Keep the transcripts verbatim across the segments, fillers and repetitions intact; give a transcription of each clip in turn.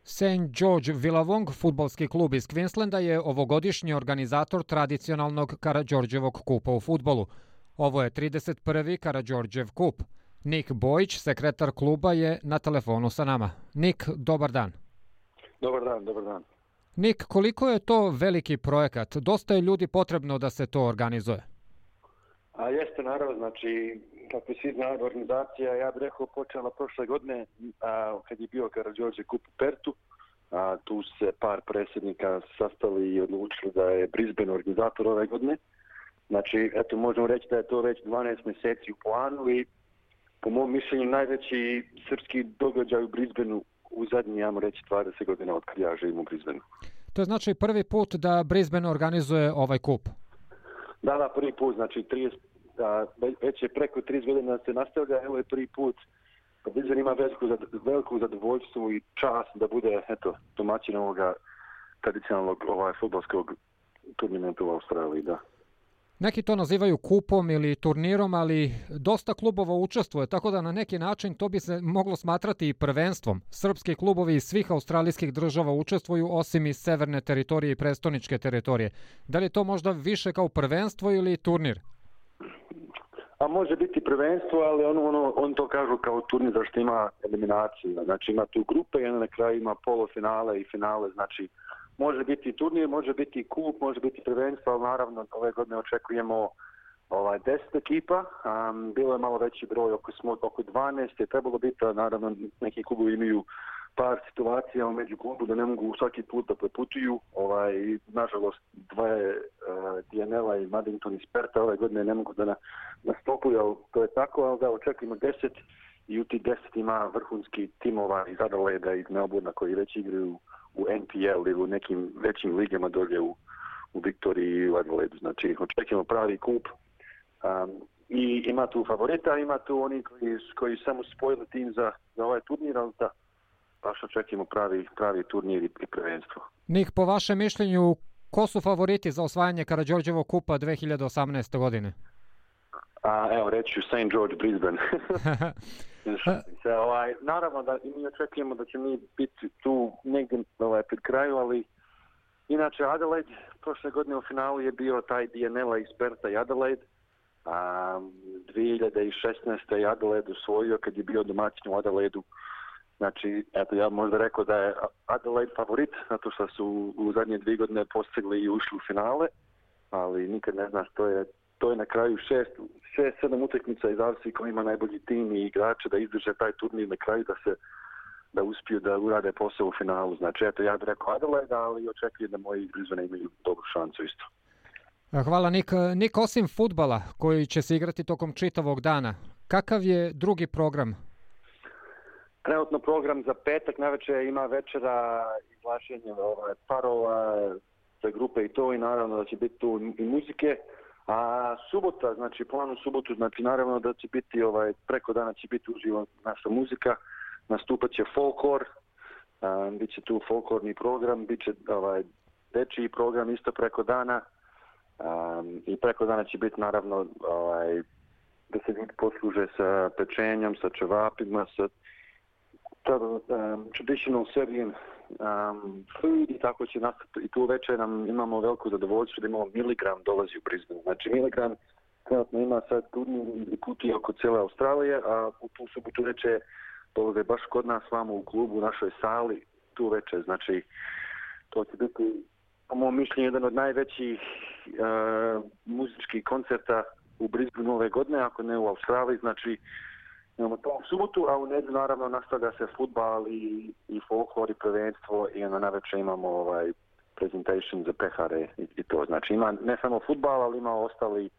Saint George Willawong, fudbalski klub iz Queenslanda, je ovogodišnji organizator tradicionalnog Karađorđevog kupa u fudbalu. Ovo je trideset prvi Karađorđev kup. Nik Bojić, sekretar kluba, je na telefonu sa nama. Nik, dobar dan. Dobar dan, dobar dan. Nik, koliko je to veliki projekat? Dosta je ljudi potrebno da se to organizuje. A jeste, naravno, znači, kako svi znaju, organizacija, ja bih rekao, počela prošle godine, a, kad je bio Karađorđev kup u Pertu, a, tu se par predsjednika sastali i odlučili da je Brisbane organizator ove godine. Znači, eto, možemo reći da je to već dvanaest mjeseci u planu i po mom mišljenju najveći srpski događaj u Brisbaneu u zadnji, ja mu reći, dvadeset godina od kad ja živim u Brisbaneu. To je znači prvi put da Brisbane organizuje ovaj kup? Da, da, prvi put, znači trideset, da, već je preko trideset godina se nastavlja, evo je prvi put. Brisbane ima veliku, veliku zadovoljstvu i čast da bude, eto, domaćin ovoga tradicionalnog ovaj, fudbalskog turnimenta u Australiji, da. Neki to nazivaju kupom ili turnirom, ali dosta klubova učestvuje, tako da na neki način to bi se moglo smatrati i prvenstvom. Srpski klubovi iz svih australijskih država učestvuju, osim iz severne teritorije i prestoničke teritorije. Da li je to možda više kao prvenstvo ili turnir? A može biti prvenstvo, ali on, ono, on to kažu kao turnir zašto ima eliminaciju. Znači ima tu grupe i na kraju ima polufinale i finale, znači može biti turnir, može biti kup, može biti prvenstvo, ali naravno ove godine očekujemo ovaj, deset ekipa. Um, bilo je malo veći broj, oko, smo, oko dvanaest je trebalo biti, a naravno neki klubovi imaju par situacija među klubu da ne mogu svaki put da preputuju. Ovaj, nažalost, dvoje uh, D N L-a i Maddington iz Perta ove godine ne mogu da na, nastupuju, ali to je tako, ali da očekujemo deset i u ti deset ima vrhunski timova iz Adelaida i iz Melbourna koji već igraju u N P L ili u nekim većim ligama dolje u, u Viktoriji i u Adelaidu. Znači, očekujemo pravi kup. Um, I ima tu favorita, ima tu oni koji, koji samo spojili tim za, za ovaj turnir, ali da baš očekujemo pravi, pravi turnir i, i prvenstvo. Nik, po vašem mišljenju, ko su favoriti za osvajanje Karađorđevog kupa dve hiljade osamnaeste. godine? A, evo, reći ću Saint George Brisbane. Se, ovaj, naravno da mi očekujemo da će mi biti tu negdje ovaj, pred kraju, ali inače Adelaide prošle godine u finalu je bio taj D N L-a iz Perta i Adelaide. A, dvije hiljade šesnaeste. je Adelaide usvojio kad je bio domaćin u Adelaidu. Znači, eto, ja možda rekao da je Adelaide favorit, zato što su u zadnje dvije godine postigli i ušli u finale, ali nikad ne znaš, to je To je na kraju šest, šest, sedam utakmica i zavisi ko ima najbolji tim i igrače da izdrže taj turnir na kraju da se da uspiju da urade posao u finalu. Znači, eto, ja bih rekao Adelaide, ali očekujem da moji Brisbane imaju dobru šancu isto. Hvala, Nik. Nik, osim fudbala koji će se igrati tokom čitavog dana, kakav je drugi program? Trenutno program za petak navečer ima večera izlašenje ovaj, parova za grupe i to i naravno da će biti tu i muzike. A subota, znači plan u subotu, znači naravno da će biti, ovaj, preko dana će biti uživo naša muzika, nastupat će folklor, um, bit će tu folklorni program, bit će ovaj, dečiji program isto preko dana um, i preko dana će biti naravno ovaj, da se ljudi posluže sa pečenjom, sa čevapima, sa um, traditional Serbian um, food i tako će nastati. I tu večer nam imamo veliko zadovoljstvo da imamo Miligram dolazi u Brisbane. Znači Miligram trenutno ima sad turnir i putuje oko cijele Australije, a u tu subotu večer dolaze baš kod nas vamo u klubu, u našoj sali, tu večer. Znači to će biti, po mom mišljenju, jedan od najvećih uh, muzičkih koncerta u Brisbaneu ove godine, ako ne u Australiji. Znači imamo to u subotu, a u nedjelju naravno nastavlja se fudbal i, i folklor i prvenstvo i onda navečer imamo ovaj presentation za pehare i, i to. Znači ima ne samo fudbal, ali ima ostali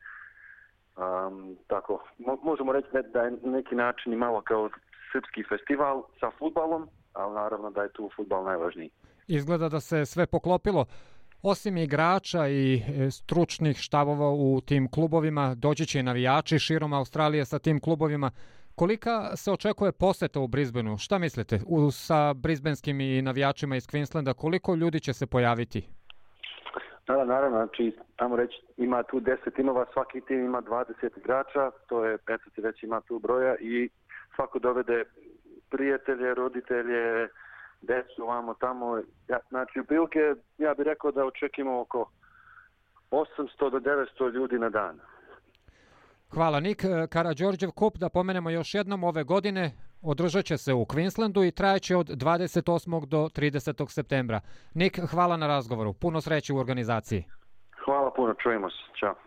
um, tako, mo, možemo reći da je neki način i malo kao srpski festival sa fudbalom, ali naravno da je tu fudbal najvažniji. Izgleda da se sve poklopilo. Osim igrača i stručnih štabova u tim klubovima, doći će i navijači širom Australije sa tim klubovima. Kolika se očekuje poseta u Brisbaneu? Šta mislite? U, sa brisbanskim i navijačima iz Queenslanda, koliko ljudi će se pojaviti? Da, naravno, znači, tamo reći, ima tu deset timova, svaki tim ima dvadeset igrača, to je, eto ti već ima tu broja i svako dovede prijatelje, roditelje decu vamo tamo. Ja, znači, ubilke, ja bih rekao da očekimo oko osamsto do devetsto ljudi na dan. Hvala, Nik. Karađorđev kup, da pomenemo još jednom, ove godine održat će se u Queenslandu i trajeće od dvadeset osmog do tridesetog septembra. Nik, hvala na razgovoru. Puno sreće u organizaciji. Hvala puno, čujemo se. Ćao.